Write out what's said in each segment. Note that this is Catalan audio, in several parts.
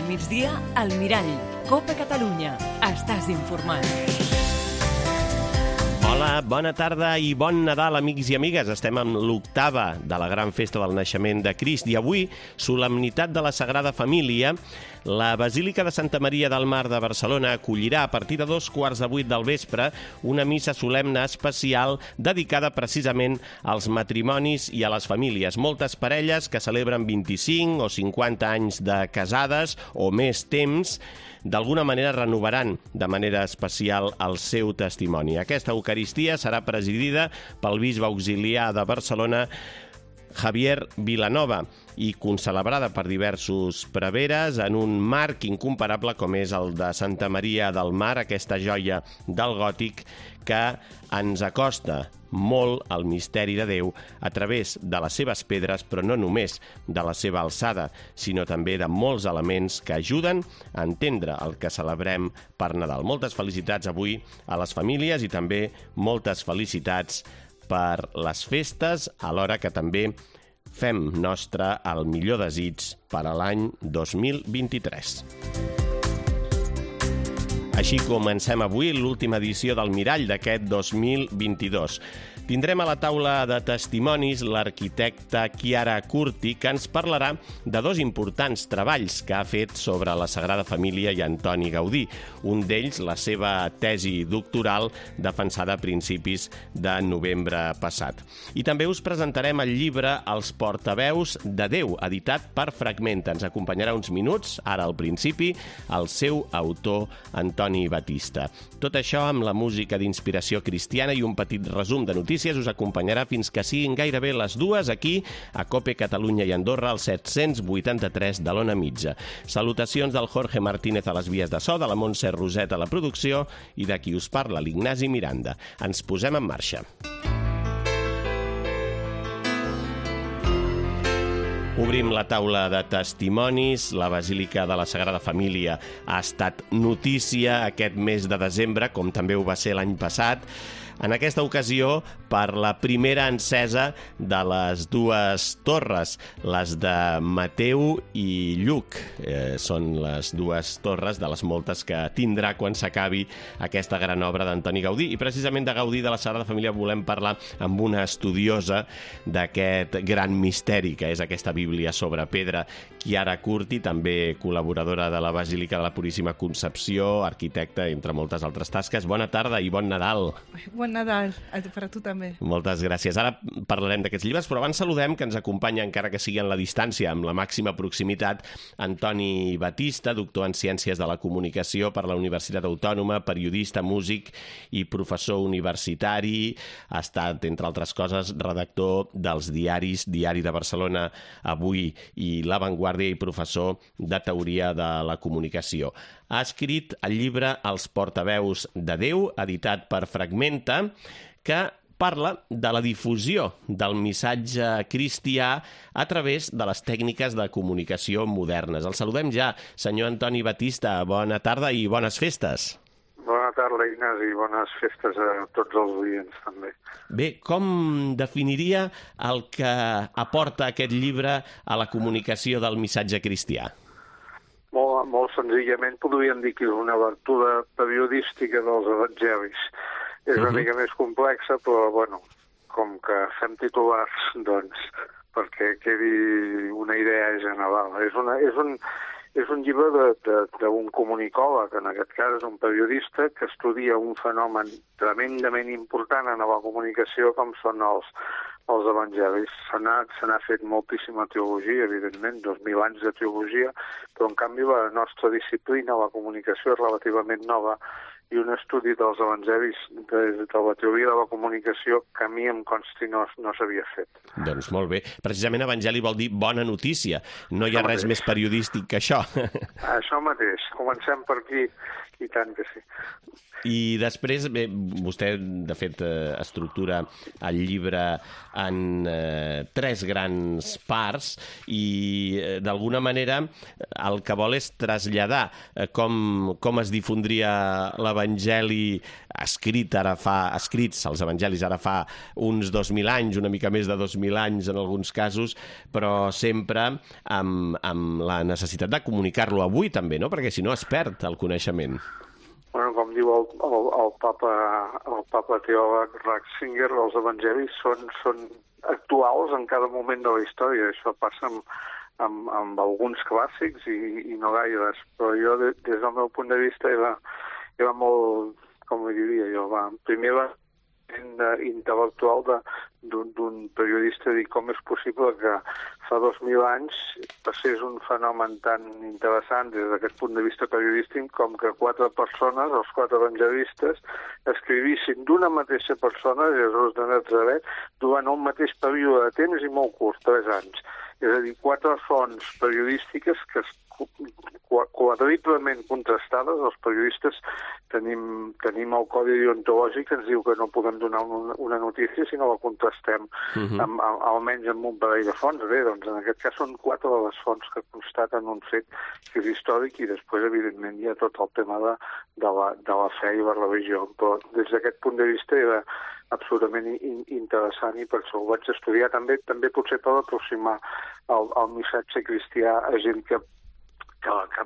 Al migdia, al Mirall. Copa Catalunya. Estàs informat. Hola, bona tarda i bon Nadal, amics i amigues. Estem amb l'octava de la gran festa del naixement de Crist i avui, solemnitat de la Sagrada Família, la Basílica de Santa Maria del Mar de Barcelona acollirà a partir de 2:15 del vespre una missa solemne especial dedicada precisament als matrimonis i a les famílies. Moltes parelles que celebren 25 o 50 anys de casades o més temps d'alguna manera renovaran de manera especial el seu testimoni. Aquesta Eucaristia serà presidida pel bisbe auxiliar de Barcelona, Javier Vilanova, i concelebrada per diversos preveres en un marc incomparable com és el de Santa Maria del Mar, aquesta joia del gòtic que ens acosta molt al misteri de Déu a través de les seves pedres, però no només de la seva alçada, sinó també de molts elements que ajuden a entendre el que celebrem per Nadal. Moltes felicitats avui a les famílies i també moltes felicitats per les festes, alhora que també fem nostre el millor desig per a l'any 2023. Així comencem avui l'última edició del Mirall d'aquest 2022. Tindrem a la taula de testimonis l'arquitecta Chiara Curti, que ens parlarà de dos importants treballs que ha fet sobre la Sagrada Família i Antoni Gaudí. Un d'ells, la seva tesi doctoral, defensada a principis de novembre passat. I també us presentarem el llibre Els portaveus de Déu, editat per Fragmenta. Ens acompanyarà uns minuts, ara al principi, el seu autor, Antoni Batista. Tot això amb la música d'inspiració cristiana i un petit resum de notícies us acompanyarà fins que siguin gairebé les 2 aquí a Cope Catalunya i Andorra al 783 de l'Ona Mitja. Salutacions del Jorge Martínez a les vies de so, de la Montse Roset a la producció i de qui us parla, l'Ignasi Miranda. Ens posem en marxa. Obrim la taula de testimonis. La Basílica de la Sagrada Família ha estat notícia aquest mes de desembre, com també ho va ser l'any passat. En aquesta ocasió, per la primera encesa de les dues torres, les de Mateu i Lluc. Són les dues torres de les moltes que tindrà quan s'acabi aquesta gran obra d'Antoni Gaudí. I precisament de Gaudí, de la Sagrada Família, volem parlar amb una estudiosa d'aquest gran misteri, que és aquesta Bíblia sobre pedra, Chiara Curti, també col·laboradora de la Basílica de la Puríssima Concepció, arquitecta, entre moltes altres tasques. Bona tarda i bon Nadal. Bon Nadal, per a tu també. Moltes gràcies. Ara parlarem d'aquests llibres, però abans saludem, que ens acompanya, encara que sigui en la distància, amb la màxima proximitat, Antoni Batista, doctor en Ciències de la Comunicació per la Universitat Autònoma, periodista, músic i professor universitari. Ha estat, entre altres coses, redactor dels diaris Diari de Barcelona Avui i La Vanguardia i professor de Teoria de la Comunicació. Ha escrit el llibre Els portaveus de Déu, editat per Fragmenta, que parla de la difusió del missatge cristià a través de les tècniques de comunicació modernes. El saludem ja, senyor Antoni Batista. Bona tarda i bones festes. Bona tarda, Ignasi, i bones festes a tots els oients, també. Bé, com definiria el que aporta aquest llibre a la comunicació del missatge cristià? Molt senzillament podríem dir que és una lectura periodística dels evangelis. És una mica més complexa, però, bueno, com que fem titulars, doncs, perquè quedi una idea general. És un llibre d'un comunicòleg, en aquest cas és un periodista, que estudia un fenomen tremendament important en la comunicació com són els evangelis. Se n'ha fet moltíssima teologia, evidentment, 2.000 anys de teologia, però en canvi la nostra disciplina, la comunicació, és relativament nova, i un estudi dels evangelis de la teoria de la comunicació que a mi em consti no s'havia fet. Doncs molt bé. Precisament evangeli vol dir bona notícia. No hi ha res més periodístic que això. Això mateix. Comencem per aquí, i tant que sí. I després, bé, vostè, de fet, estructura el llibre en 3 grans parts i, d'alguna manera, el que vol és traslladar com es difondria l'evangeli l'Evangeli escrits els evangelis ara fa uns 2.000 anys, una mica més de 2.000 anys en alguns casos, però sempre amb la necessitat de comunicar-lo avui també, no? Perquè si no es perd el coneixement. Bueno, com diu el papa teòleg Ratzinger, els evangelis són actuals en cada moment de la història. Això passa amb alguns clàssics i no gaires, però jo des del meu punt de vista era molt, com ho diria jo, primer intel·lectual d'un periodista, dir com és possible que fa 2.000 anys passés un fenomen tan interessant des d'aquest punt de vista periodístic com que 4 persones, els 4 evangelistes, escrivissin d'una mateixa persona, Jesús de Natzaret, durant un mateix període de temps i molt curt, 3 anys. És a dir, 4 fonts periodístiques que quadruplement contrastades. Els periodistes tenim el codi deontològic que ens diu que no podem donar una notícia si no la contrastem almenys amb un parell de fonts. Bé, doncs en aquest cas són 4 de les fonts que constaten un fet que és històric i després, evidentment, hi ha tot el tema de la fe i la religió. Però des d'aquest punt de vista era absolutament interessant i per això ho vaig estudiar també potser per aproximar el missatge cristià a gent que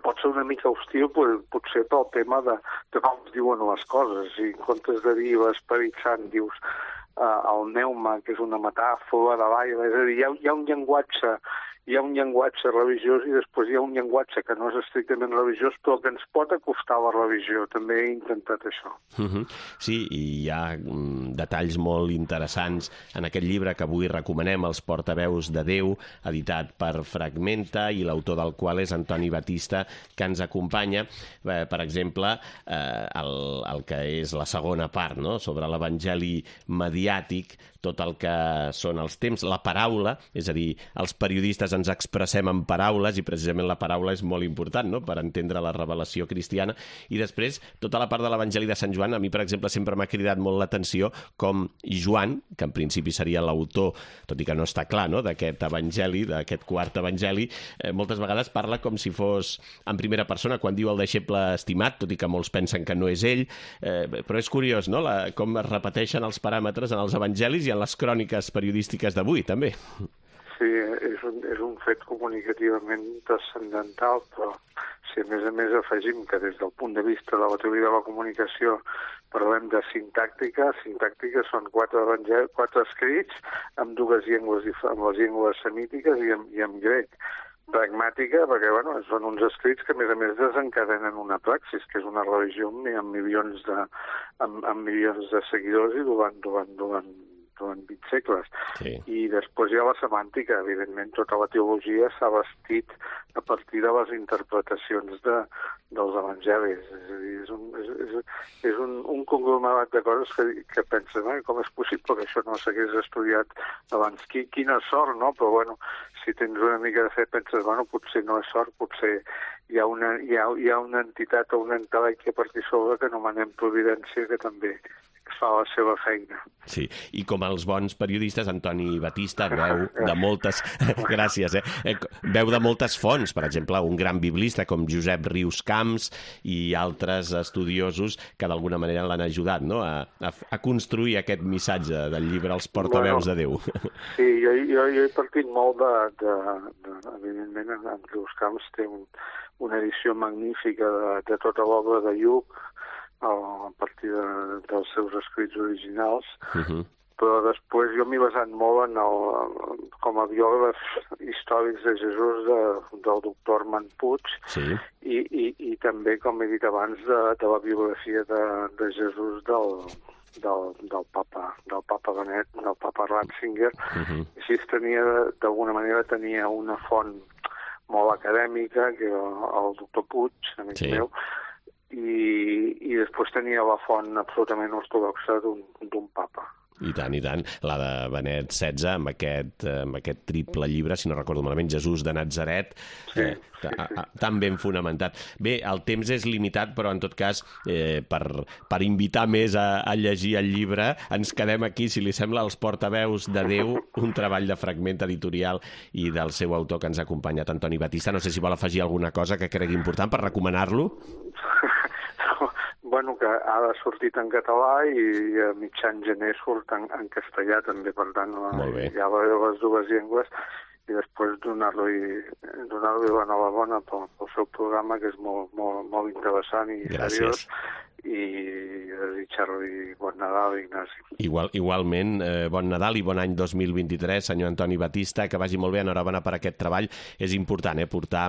pot ser una mica hostil potser pel tema de com es diuen les coses. Si en comptes de dir l'Esperit Sant dius el neuma, que és una metàfora de l'aire, és a dir, hi ha un llenguatge religiós i després hi ha un llenguatge que no és estrictament religiós però que ens pot acostar a la religió. També he intentat això. Sí, i hi ha detalls molt interessants en aquest llibre que avui recomanem, Els portaveus de Déu, editat per Fragmenta i l'autor del qual és Antoni Batista, que ens acompanya. Per exemple, el que és la segona part, no?, sobre l'Evangeli mediàtic, tot el que són els temps, la paraula, és a dir, els periodistes ens expressem en paraules i precisament la paraula és molt important, no?, per entendre la revelació cristiana. I després, tota la part de l'Evangeli de Sant Joan, a mi, per exemple, sempre m'ha cridat molt l'atenció com Joan, que en principi seria l'autor, tot i que no està clar, no?, d'aquest evangeli, d'aquest quart evangeli, moltes vegades parla com si fos en primera persona, quan diu el deixeble estimat, tot i que molts pensen que no és ell, però és curiós, no?, com es repeteixen els paràmetres en els evangelis i en les cròniques periodístiques d'avui, també. Sí, és un fet comunicativament transcendental, però si a més afegim que des del punt de vista de la teoria de la comunicació parlem de sintàctica són 4 escrits amb 2 llengües, amb les llengües semítiques i amb grec. Pragmàtica, perquè són uns escrits que a més desencadenen una praxis, que és una religió amb milions de seguidors i durant 20 segles. Sí. I després hi ha la semàntica, evidentment, tota la teologia s'ha bastit a partir de les interpretacions dels evangelis. És a dir, és un conglomerat de coses que penses, com és possible que això no s'hagués estudiat abans? Quina sort, no? Però, si tens una mica de fe, penses, potser no és sort, potser hi ha una entitat o un entelèquia per aquí sobre que anomenem Providència, que també fa la seva feina. Sí, i com els bons periodistes, Antoni Batista veu de moltes... Gràcies, veu de moltes fonts, per exemple, un gran biblista com Josep Rius Camps i altres estudiosos que d'alguna manera l'han ajudat, no?, a construir aquest missatge del llibre Els portaveus de Déu. Sí, jo he partit molt evidentment, en Rius Camps té una edició magnífica de tota l'obra de Lluc, a partir dels seus escrits originals, però després jo m'he basat molt com a biògraf històrics de Jesús del doctor Armand Puig, sí, i també, com he dit abans, de la biografia de Jesús del papa Benet, del papa Ratzinger. Així d'alguna manera tenia una font molt acadèmica, que era el doctor Puig, amic meu, i després tenia la font absolutament ortodoxa d'un papa. I tant, la de Benet XVI, amb aquest triple llibre, si no recordo malament, Jesús de Natzaret, tan ben fonamentat. Bé, el temps és limitat, però en tot cas, per invitar més a llegir el llibre, ens quedem aquí, si li sembla, Els portaveus de Déu, un treball de Fragment editorial i del seu autor que ens ha acompanyat, Antoni Batista. No sé si vol afegir alguna cosa que cregui important per recomanar-lo. bueno, que ha sortit en català i a mitjan gener surt en castellà també, per tant, hi ha les dues llengües, i després donar-li l'enhorabona pel seu programa, que és molt interessant i seriós, i desitjar-li bon Nadal, Ignasi. Igualment, bon Nadal i bon any 2023, senyor Antoni Batista, que vagi molt bé, enhorabona per aquest treball. És important portar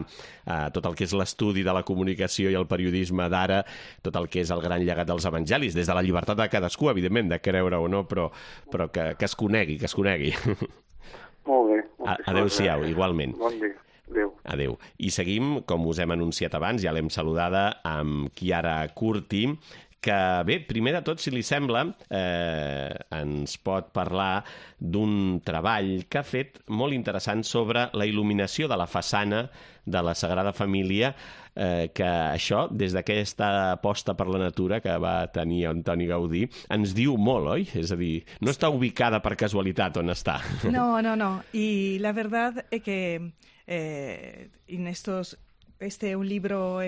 tot el que és l'estudi de la comunicació i el periodisme d'ara, tot el que és el gran llegat dels evangelis, des de la llibertat de cadascú, evidentment, de creure o no, però que es conegui, que es conegui. Molt bé. Adéu-siau, igualment. Bon dia. Adéu. Adéu. I seguim, com us hem anunciat abans, ja l'hem saludada, amb Chiara Curti, que bé, primer de tot, si li sembla, ens pot parlar d'un treball que ha fet molt interessant sobre la il·luminació de la façana de la Sagrada Família, que això, des d'aquesta aposta per la natura que va tenir Antoni Gaudí, ens diu molt, oi? És a dir, no està ubicada per casualitat on està. No. Y la verdad es que un libro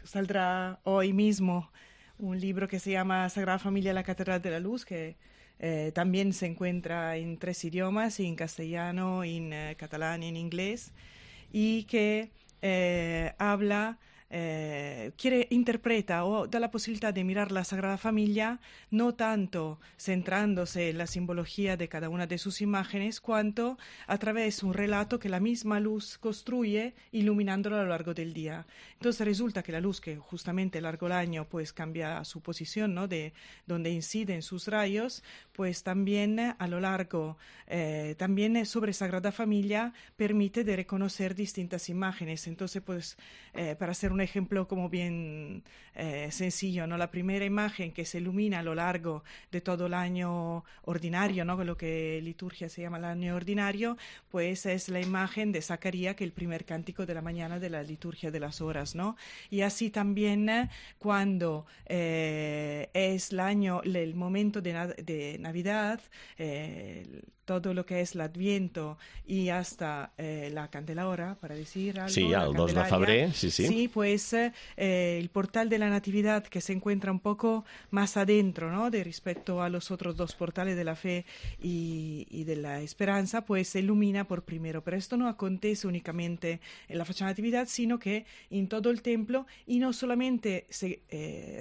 saldrá hoy mismo, un libro que se llama Sagrada Familia, la Catedral de la Luz, que también se encuentra en 3 idiomas, en castellano, en catalán y en inglés, y que interpreta o da la posibilidad de mirar la Sagrada Familia no tanto centrándose en la simbología de cada una de sus imágenes, cuanto a través de un relato que la misma luz construye iluminándolo a lo largo del día. Entonces resulta que la luz, que justamente a lo largo del año pues cambia su posición, ¿no?, de donde inciden sus rayos, pues también a lo largo, también sobre Sagrada Familia permite de reconocer distintas imágenes. Entonces, pues, para hacer un ejemplo como bien sencillo, ¿no?, la primera imagen que se ilumina a lo largo de todo el año ordinario, ¿no?, lo que en liturgia se llama el año ordinario, pues es la imagen de Zacarías, que es el primer cántico de la mañana de la liturgia de las horas, ¿no? Y así también cuando es el momento de Navidad, todo lo que es el Adviento y hasta la Candelabra, para decir algo. Sí, el 2 de febrer, sí. Sí, pues el portal de la Natividad, que se encuentra un poco más adentro, ¿no?, de respecto a los otros 2 portales de la fe y de la esperanza, pues se ilumina por primero. Pero esto no acontece únicamente en la fachada de Natividad, sino que en todo el templo, y no solamente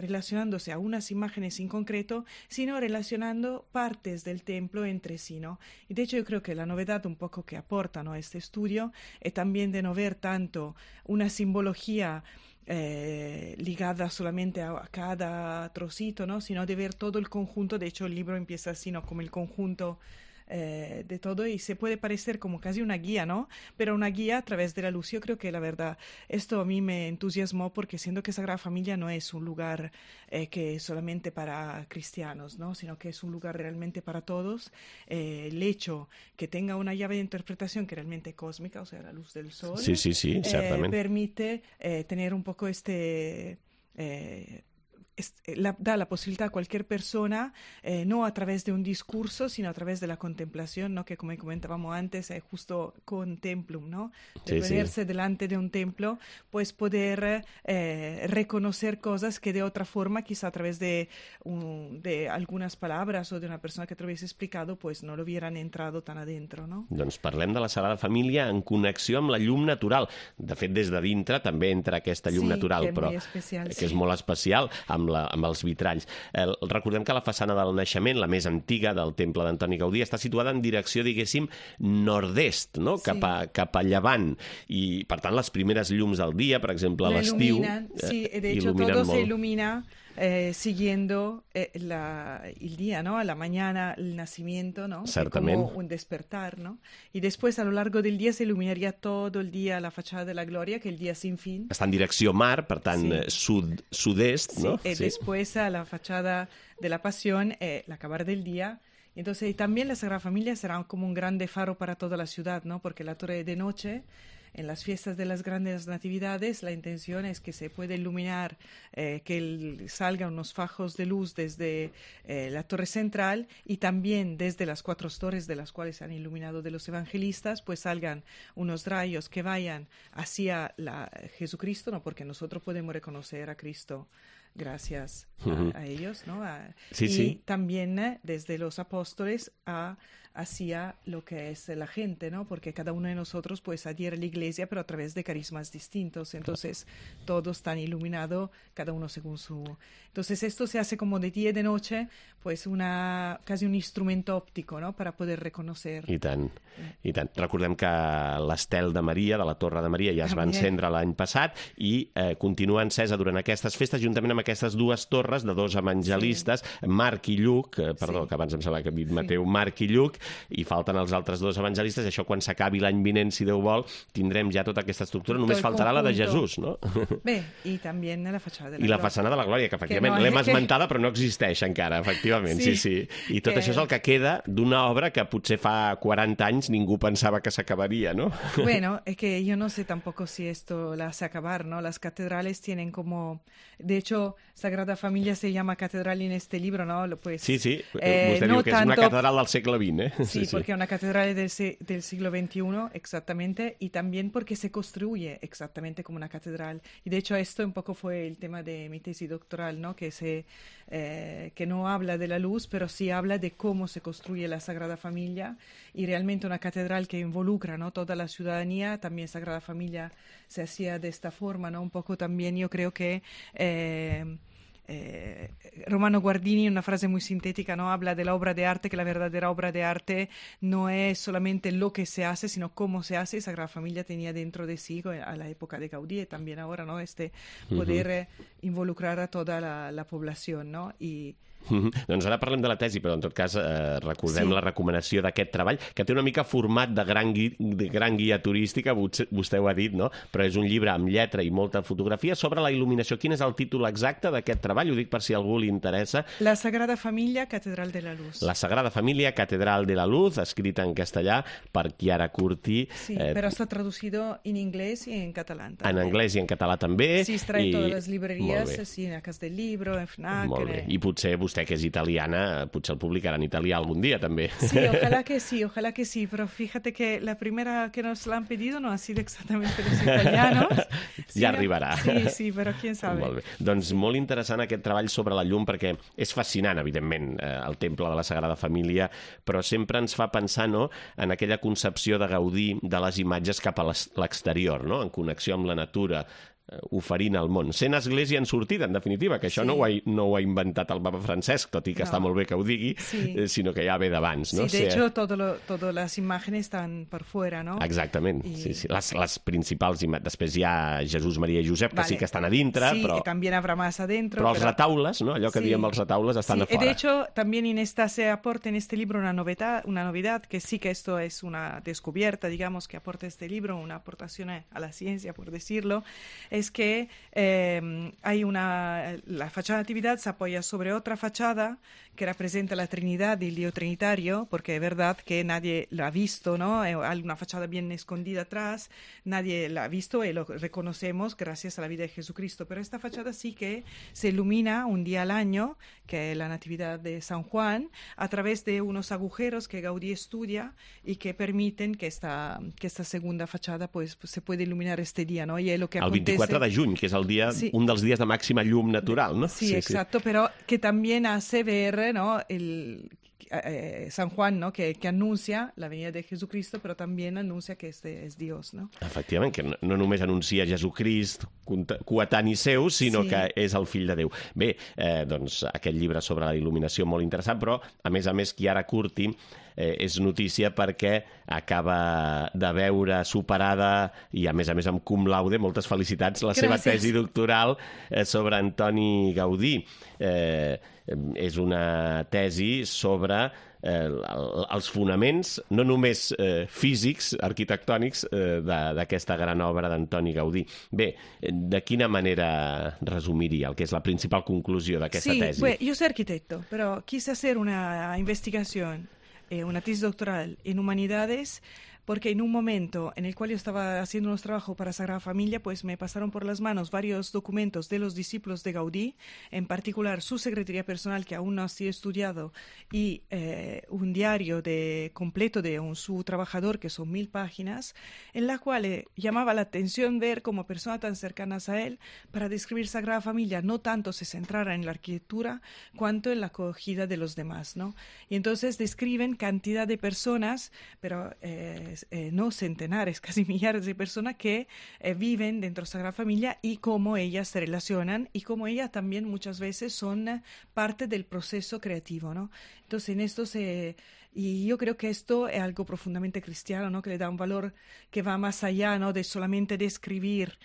relacionándose a unas imágenes en concreto, sino relacionando partes del templo entre sí, ¿no? Y de hecho yo creo que la novedad un poco que aporta, ¿no?, este estudio es también de no ver tanto una simbología ligada solamente a cada trocito, ¿no?, sino de ver todo el conjunto. De hecho el libro empieza así, ¿no?, como el conjunto de todo, y se puede parecer como casi una guía, ¿no?, pero una guía a través de la luz. Yo creo que la verdad esto a mí me entusiasmó, porque siendo que Sagrada Familia no es un lugar que es solamente para cristianos, ¿no?, sino que es un lugar realmente para todos. El hecho que tenga una llave de interpretación que realmente es cósmica, o sea, la luz del sol, sí, certament, permite tener un poco da la posibilidad a cualquier persona, no a través de un discurso, sino a través de la contemplación, ¿no?, que como comentábamos antes, es justo contemplum, ¿no?, de ponerse delante de un templo, pues poder reconocer cosas que de otra forma, quizá a través de algunas palabras o de una persona que te lo hubiese explicado, pues no lo hubieran entrado tan adentro, no? Doncs parlem de la Sagrada Família en connexió amb la llum natural. De fet, des de dintre també entra aquesta llum natural, però que és molt especial, amb els vitralls. Recordem que la façana del naixement, la més antiga del temple d'Antoni Gaudí, està situada en direcció, diguéssim, nord-est, no?, cap a llevant. I, per tant, les primeres llums del dia, per exemple, a l'estiu, sí, de hecho todo se ilumina siguiendo el día, ¿no?, a la mañana el nacimiento, ¿no?, como un despertar, ¿no? Y después a lo largo del día se iluminaría todo el día la fachada de la Gloria, que es el día sin fin. Està en direcció mar, per tant, sud-est, no? Sí, después a la fachada de la Pasión, el acabar del día. Entonces, también la Sagrada Familia será como un grande faro para toda la ciudad, ¿no?, porque la torre de noche, en las fiestas de las grandes natividades, la intención es que se pueda iluminar, que salgan unos fajos de luz desde la torre central, y también desde las 4 torres de las cuales se han iluminado de los evangelistas, pues salgan unos rayos que vayan hacia Jesucristo, ¿no?, porque nosotros podemos reconocer a Cristo gracias a ellos, ¿no? Y también desde los apóstoles hacia lo que es la gente, ¿no? Porque cada uno de nosotros pues adhiere a la iglesia, pero a través de carismas distintos. Entonces, todos están iluminados, cada uno según su... Entonces, esto se hace como de día y de noche, pues casi un instrumento òptico, no?, para poder reconocer. I tant, i tant. Recordem que l'estel de Maria, de la Torre de Maria, ja es va encendre l'any passat i continua encesa durant aquestes festes, juntament amb aquestes dues torres de dos evangelistes, Marc i Lluc, perdó, que abans em sembla que he dit Mateu, Marc i Lluc, i falten els altres dos evangelistes. Això, quan s'acabi l'any vinent, si Déu vol, tindrem ja tota aquesta estructura. Només faltarà la de Jesús, no? Bé, i també la fatxada de la glòria. I la façana de la glòria, que efectivament l'hem esmentada, però no existeix encara, efectivament, sí. I tot això és el que queda d'una obra que potser fa 40 anys ningú pensava que s'acabaria, ¿no? Bueno, es que yo no sé tampoco si esto la hace acabar, ¿no? Las catedrales tienen como... De hecho, Sagrada Familia se llama catedral en este libro, ¿no? Pues, sí. Vostè diu que és una catedral del segle XX, ¿eh? Sí, porque es una catedral del siglo XXI, exactamente, y también porque se construye exactamente como una catedral. Y de hecho esto un poco fue el tema de mi tesis doctoral, ¿no? Que no habla de la luz, pero sí habla de cómo se construye la Sagrada Familia, y realmente una catedral que involucra, ¿no?, toda la ciudadanía. También Sagrada Familia se hacía de esta forma, ¿no? Un poco también yo creo que... Romano Guardini, una frase muy sintética, ¿no?, habla de la obra de arte, que la verdadera obra de arte no es solamente lo que se hace, sino cómo se hace. Sagrada Familia tenía dentro de sí, a la época de Gaudí y también ahora, ¿no?, poder involucrar a toda la población, ¿no? Doncs ara parlem de la tesi, però en tot cas recordem la recomanació d'aquest treball, que té una mica format de gran guia turística, vostè ho ha dit, no? Però és un llibre amb lletra i molta fotografia sobre la il·luminació. Quin és el títol exacte d'aquest treball? Ho dic per si a algú li interessa. La Sagrada Familia, Catedral de la Luz. La Sagrada Familia, Catedral de la Luz, escrita en castellà per Chiara Curti. Sí, però està traducido en inglés i en català. En anglès i en català també. Sí, es trae en totes les libreries, sí, en la Casa del Libro, en FNAC. Molt bé. I potser vostè, que és italiana, potser el publicarà en italià algun dia, també. Sí, ojalá que sí, pero fíjate que la primera que nos la han pedido no ha sido exactamente los italianos. Ja arribarà. Sí, però quién sabe. Molt bé. Doncs molt interessant aquest treball sobre la llum, perquè és fascinant, evidentment, el temple de la Sagrada Família, però sempre ens fa pensar, no?, en aquella concepció de Gaudí de les imatges cap a l'exterior, no?, en connexió amb la natura, oferint al món. Sent església en sortida, en definitiva, que això no ho ha inventat el papa Francesc, tot i que està molt bé que ho digui, sinó que ja ve d'abans, no? Sí, de hecho, todas las imágenes están por fuera, ¿no? Exactament, sí. Les principals imatges. Després hi ha Jesús, Maria i Josep, que sí que estan a dintre, sí, però... Sí, también habrá más adentro. Però els retaules, no?, allò que diem els retaules, estan a fora. De hecho, también se aporta en este libro una novedad, que sí que esto es una descubierta, digamos, que aporta este libro, una aportación a la ciencia, por decirlo, es que la fachada de Natividad se apoya sobre otra fachada que representa la Trinidad y el Dios Trinitario, porque es verdad que nadie la ha visto, ¿no? Hay una fachada bien escondida atrás, nadie la ha visto y lo reconocemos gracias a la vida de Jesucristo, pero esta fachada sí que se ilumina un día al año, que es la Natividad de San Juan, a través de unos agujeros que Gaudí estudia y que permiten que esta segunda fachada pues se puede iluminar este día, ¿no? Y es lo que el 24 de juny, que és un dels dies de màxima llum natural, ¿no? Sí, exacto, pero que también hace ver, ¿no?, San Juan, ¿no?, que anuncia la venida de Jesucristo, però també anuncia que este és Dios, no? Efectivament, que no només anuncia Jesucrist coetani seu, sinó que és el fill de Déu. Bé, doncs aquest llibre sobre la il·luminació molt interessant, però a més, Chiara Curti és notícia perquè acaba de veure superada i a més amb cum laude, moltes felicitats, la seva tesi doctoral sobre Antoni Gaudí. És una tesi sobre els fonaments, no només físics, arquitectònics, d'aquesta gran obra d'Antoni Gaudí. Bé, de quina manera resumiria el que és la principal conclusió d'aquesta tesi? Sí, yo soy arquitecto, pero quise hacer una investigación, una tesis doctoral en humanidades porque en un momento en el cual yo estaba haciendo unos trabajos para Sagrada Familia, pues me pasaron por las manos varios documentos de los discípulos de Gaudí, en particular su secretaría personal, que aún no ha sido estudiado, y un diario completo de su trabajador, que son 1000 páginas, en la cual llamaba la atención ver como personas tan cercanas a él, para describir Sagrada Familia, no tanto se centrara en la arquitectura, cuanto en la acogida de los demás, ¿no? Y entonces describen cantidad de personas, pero no centenares, casi millares de personas que viven dentro de Sagrada Familia y cómo ellas se relacionan y cómo ellas también muchas veces son parte del proceso creativo, ¿no? Entonces en esto y yo creo que esto es algo profundamente cristiano, ¿no? Que le da un valor que va más allá, ¿no? De solamente describir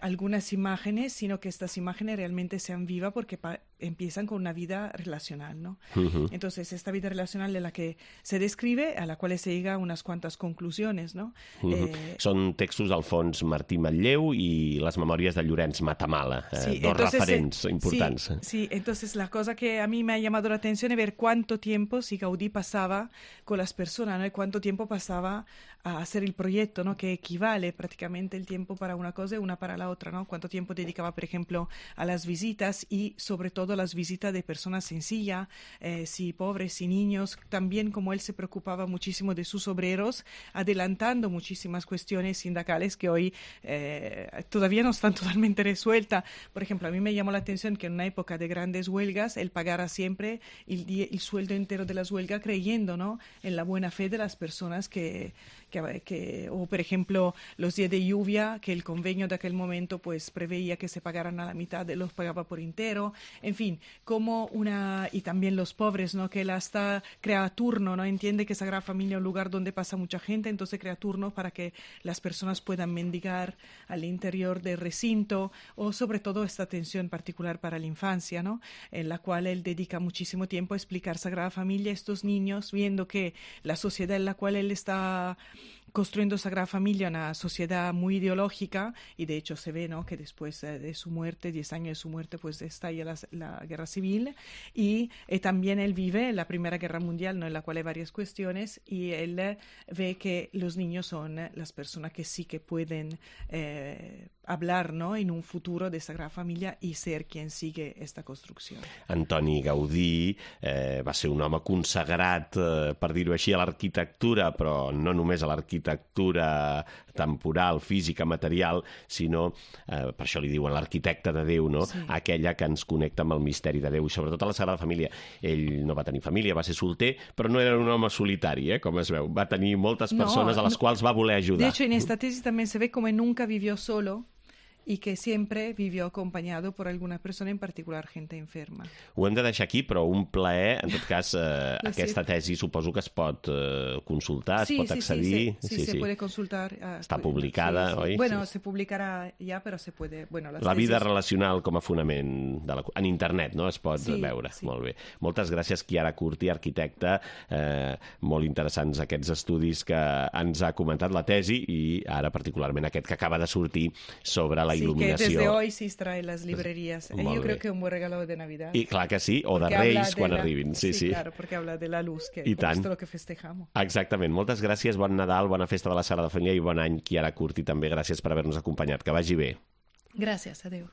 algunas imágenes, sino que estas imágenes realmente sean vivas porque empiezan con una vida relacional, ¿no? Entonces, esta vida relacional de la que se describe, a la cual se llega a unas cuantas conclusiones, ¿no? Són textos del fons Martí Matlleu i les memòries de Llorenç Matamala, dos referents importants. Sí, entonces la cosa que a mí me ha llamado la atención es ver cuánto tiempo si Gaudí pasaba con las personas, ¿no? Y cuánto tiempo pasaba a hacer el proyecto, ¿no? Que equivale prácticamente el tiempo para una cosa y una para la otra, ¿no? Cuánto tiempo dedicaba, por ejemplo, a las visitas y sobre todo a las visitas de personas sencillas, sí, pobres y niños, también como él se preocupaba muchísimo de sus obreros, adelantando muchísimas cuestiones sindicales que hoy todavía no están totalmente resueltas. Por ejemplo, a mí me llamó la atención que en una época de grandes huelgas él pagara siempre el sueldo entero de las huelgas, creyendo, ¿no? En la buena fe de las personas o por ejemplo los días de lluvia, que el convenio de aquel momento pues preveía que se pagaran a la mitad, los pagaba por entero, en fin, y también los pobres, ¿no? Que él hasta crea turno, ¿no? Entiende que Sagrada Familia es un lugar donde pasa mucha gente, entonces crea turno para que las personas puedan mendigar al interior del recinto, o sobre todo esta atención particular para la infancia, ¿no? En la cual él dedica muchísimo tiempo a explicar Sagrada Familia a estos niños, viendo que la sociedad en la cual él está construyendo Sagrada Familia, una sociedad muy ideológica, y de hecho se ve, ¿no? Que después de su muerte, 10 años de su muerte, pues estalla la guerra civil, y también él vive la Primera Guerra Mundial, ¿no? En la cual hay varias cuestiones, y él ve que los niños son las personas que sí que pueden hablar, ¿no? En un futuro de Sagrada Familia y ser quien sigue esta construcció. Antoni Gaudí va ser un home consagrat, per dir-ho així, a l'arquitectura, però no només a l'arquitectura temporal, física, material, sinó, per això li diuen l'arquitecte de Déu, no? Sí. Aquella que ens connecta amb el misteri de Déu, i sobretot a la Sagrada Família. Ell no va tenir família, va ser solter, però no era un home solitari, com es veu. Va tenir moltes persones a les quals va voler ajudar. De hecho, en esta tesis también se ve como nunca vivió solo, y que siempre vivió acompañado por alguna persona, en particular gente enferma. Ho hem de deixar aquí, però un plaer. En tot cas, aquesta tesi suposo que es pot consultar, es pot accedir. Sí, se puede consultar. Està publicada, oi? Bueno, se publicarà ja, però se puede... Bueno, la vida relacional com a fonament en internet, no? Es pot veure. Molt bé. Moltes gràcies, Chiara Curti, arquitecta. Molt interessants aquests estudis que ens ha comentat, la tesi, i ara particularment aquest que acaba de sortir sobre la iluminació. Sí, que desde hoy se extrae las librerías. Yo creo que es un buen regalo de Navidad. I clar que sí, o de Reis, quan arribin. Sí, claro, porque habla de la luz, que es lo que festejamos. Exactament. Moltes gràcies, bon Nadal, bona festa de la Sagrada Família i bon any, Chiara Curti, també. Gràcies per haver-nos acompanyat. Que vagi bé. Gràcies, adeu.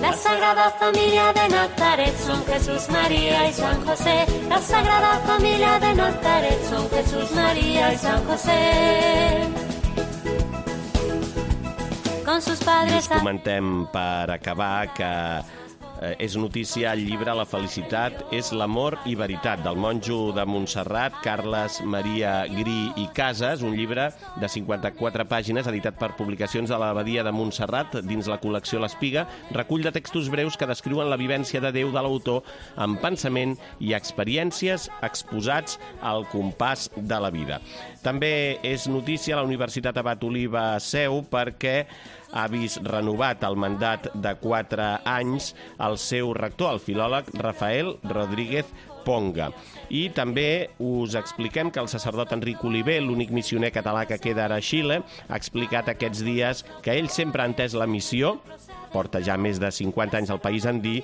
La Sagrada Familia de Nazaret son Jesús, María y San José. La Sagrada Familia de Nazaret son Jesús, María y San José. Con sus padres... I us comentem per acabar que és notícia el llibre La felicitat és l'amor i veritat, del monjo de Montserrat, Carles Maria Gri i Casas, un llibre de 54 pàgines editat per Publicacions de l'Abadia de Montserrat dins la col·lecció L'Espiga, recull de textos breus que descriuen la vivència de Déu de l'autor amb pensament i experiències exposats al compàs de la vida. També és notícia la Universitat Abat Oliba Seu perquè ha vist renovat el mandat de 4 anys el seu rector, el filòleg Rafael Rodríguez Ponga. I també us expliquem que el sacerdot Enric Oliver, l'únic missioner català que queda ara a Xile, ha explicat aquests dies que ell sempre ha entès la missió porta ja més de 50 anys al país andí,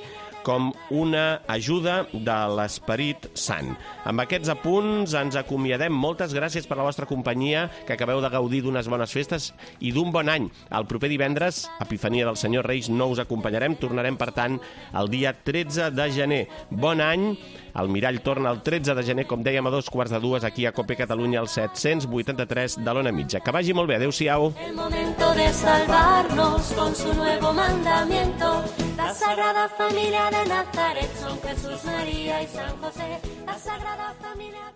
com una ajuda de l'Esperit Sant. Amb aquests apunts ens acomiadem. Moltes gràcies per la vostra companyia, que acabeu de gaudir d'unes bones festes i d'un bon any. El proper divendres, Epifania del Senyor Reis, no us acompanyarem. Tornarem, per tant, el dia 13 de gener. Bon any. El Mirall torna el 13 de gener, com dèiem, a 2:45, aquí a Cope Catalunya, al 783 de l'Ona Mitja. Que vagi molt bé. Adéu-siau. El momento de salvarnos con su nuevo mandamiento. La Sagrada Familia de Nazaret son Jesús, María y San José. La Sagrada Familia de